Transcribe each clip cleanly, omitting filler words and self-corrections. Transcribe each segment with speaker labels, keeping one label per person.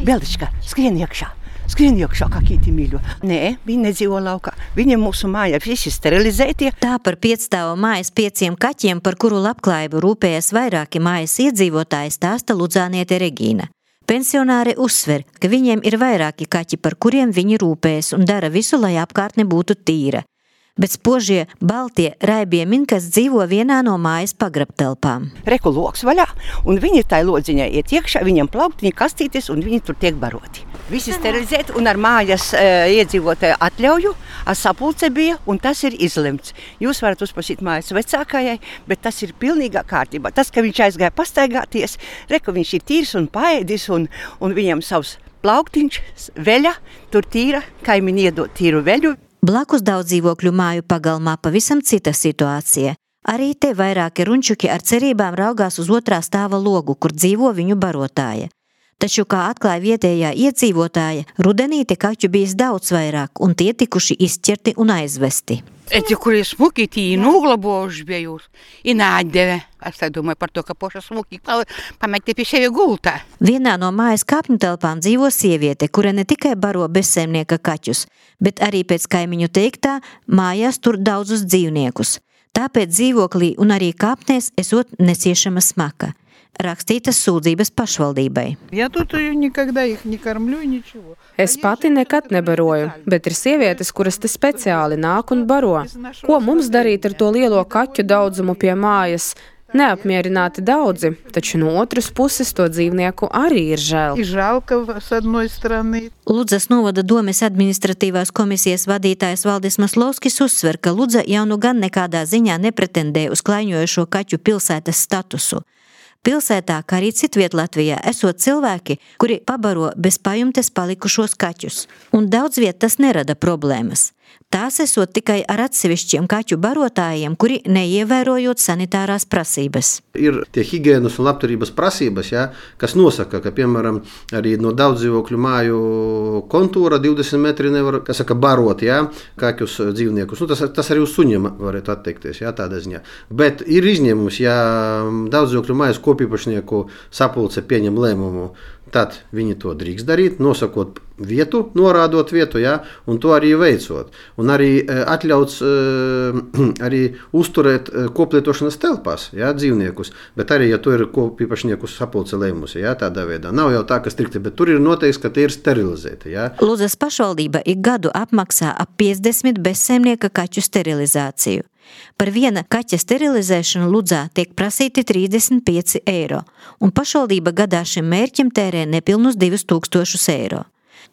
Speaker 1: Belička, skrien iekšā, kā kīti mīļo. Nē, viņi nedzīvo laukā. Viņiem mūsu mājā visi sterilizētie.
Speaker 2: Tā par 5-stāvu mājas 5 kaķiem, par kuru labklājību rūpējas vairāki mājas iedzīvotāji, stāsta Ludzāniete Regīna. Pensionāri uzsver, ka viņiem ir vairāki kaķi, par kuriem viņi rūpējas un dara visu, lai apkārtne būtu tīra. Bet spožie, baltie, raibie minkas dzīvo vienā no mājas pagrabtelpām.
Speaker 1: Reku loks vaļā, un viņi tai lodziņai iet iekšā, viņam plauktiņi kastītes, un viņi tur tiek baroti. Visi sterilizēti, un ar mājas iedzīvotāju atļauju, ar sapulce bija, un tas ir izlemts. Jūs varat uzprasīt mājas vecākajai, bet tas ir pilnīgā kārtībā. Tas, ka viņš aizgāja pastaigāties, reku viņš ir tīrs un paēdis, un viņam savs plauktiņš, veļa, tur tīra, kaimiņi iedot tīru veļu.
Speaker 2: Blakus daudz dzīvokļu māju pagalmā pavisam cita situācija. Arī te vairāki runčuki ar cerībām raugās uz otrā stāva logu, kur dzīvo viņu barotāja. Taču, kā atklāja vietējā iedzīvotāja, rudenī te kaķu bijis daudz vairāk, un tie tikuši izķerti un aizvesti.
Speaker 3: Эти, kurie smuki, tī noglabojuši bija jūs, i nāģdeve. Es tā domāju par to, ka poša smuki pamēķi pie sevi gultā.
Speaker 2: Vienā no mājas kāpņu telpām dzīvo sieviete, kura ne tikai baro bezsaimnieka kaķus, bet arī pēc kaimiņu teiktā mājās tur daudzus dzīvniekus. Tāpēc dzīvoklī un arī kāpnēs esot neciešama smaka. Rakstītas sūdzības pašvaldībai.
Speaker 4: Es pati nekad nebaroju, bet ir sievietes, kuras te speciāli nāk un baro. Ko mums darīt ar to lielo kaķu daudzumu pie mājas? Neapmierināti daudzi, taču no otras puses to dzīvnieku arī ir žēl.
Speaker 2: Ludzas novada domes administratīvās komisijas vadītājs Valdis Maslovskis uzsver, ka Ludza jau nu gan nekādā ziņā nepretendē uz klaiņojošo kaķu pilsētas statusu. Pilsētā, kā arī citviet Latvijā, esot cilvēki, kuri pabaro bez pajumtes palikušos kaķus, un daudz viet tas nerada problēmas. Tās esot tikai ar atsevišķiem kaķu barotājiem, kuri neievērojot sanitārās prasības.
Speaker 5: Ir tie higienas un labturības prasības, kas nosaka, ka, piemēram, arī no daudz dzīvokļu māju kontūra 20 metri nevar, barot, kaķus dzīvniekus. Tas arī uz suņiem varētu atteikties, tādā ziņā. Bet ir izņēmums, ja daudz dzīvokļu mājas kopīpašnieku sapulce pieņem lēmumu, tad viņi to drīkst darīt, nosakot vietu, norādot vietu, un to arī veicot. Un arī atļauts arī uzturēt koplietošanas telpās, dzīvniekus, bet arī, ja to ir kopīpašnieku sapulce lēmusi, tādā veidā. Nav jau tā, ka strikti, bet tur ir noteikts, ka tie ir sterilizēti.
Speaker 2: Ludzas pašvaldība ik gadu apmaksā ap 50 bezsaimnieka kaķu sterilizāciju. Par viena kaķa sterilizēšanu Ludzā tiek prasīti 35 eiro, un pašvaldība gadā šim mērķim tērē nepilnus 2000 eiro.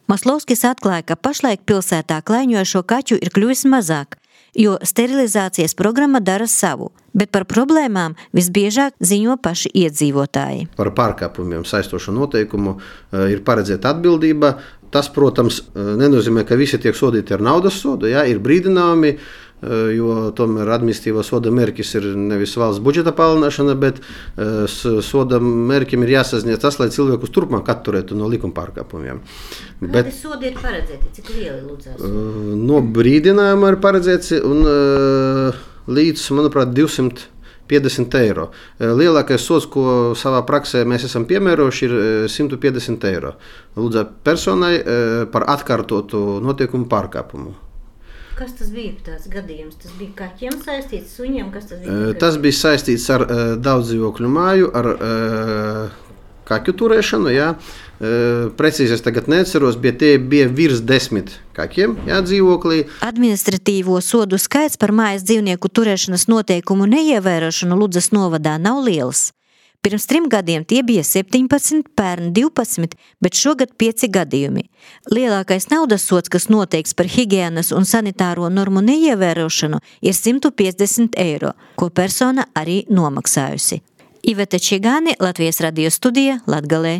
Speaker 2: Maslovskis atklāja, ka pašlaik pilsētā klaiņojošo kaķu ir kļuvis mazāk, jo sterilizācijas programma dara savu, bet par problēmām visbiežāk ziņo paši iedzīvotāji.
Speaker 5: Par pārkāpumiem saistošu noteikumu ir paredzēta atbildība. Tas, protams, nenozīmē, ka visi tiek sodīti ar naudas sodu, ir brīdinājumi, jo tomēr administratīvā soda mērķis ir nevis valsts budžeta palielināšana, bet soda mērķim ir jāsasniedz tas, lai cilvēkus turpmāk atturētu no likuma pārkāpumiem.
Speaker 2: Kādi sodi ir paredzēti? Cik lieli Ludzās?
Speaker 5: No brīdinājuma ir paredzēts un līdz, manuprāt, 250 eiro. Lielākais sods, ko savā praksē mēs esam piemērojuši, ir 150 eiro. Ludzā personai par atkārtotu notiekumu pārkāpumu.
Speaker 2: Kas tas bija tāds gadījums? Tas bija kaķiem saistīts, suņiem? Kas tas bija?
Speaker 5: Tas bija saistīts ar daudz dzīvokļu māju, ar kaķu turēšanu. Precīzi es tagad neatceros, bet tie bija virs 10 kaķiem dzīvoklī.
Speaker 2: Administratīvo sodu skaits par mājas dzīvnieku turēšanas noteikumu neievērošanu Ludzas novadā nav liels. Pirms 3 gadiem tie bija 17, pērn 12, bet šogad 5 gadījumi. Lielākais naudas sods, kas noteikts par higienas un sanitāro normu neievērošanu, ir 150 eiro, ko persona arī nomaksājusi. Iveta Čigāni, Latvijas radio studija, Latgalē.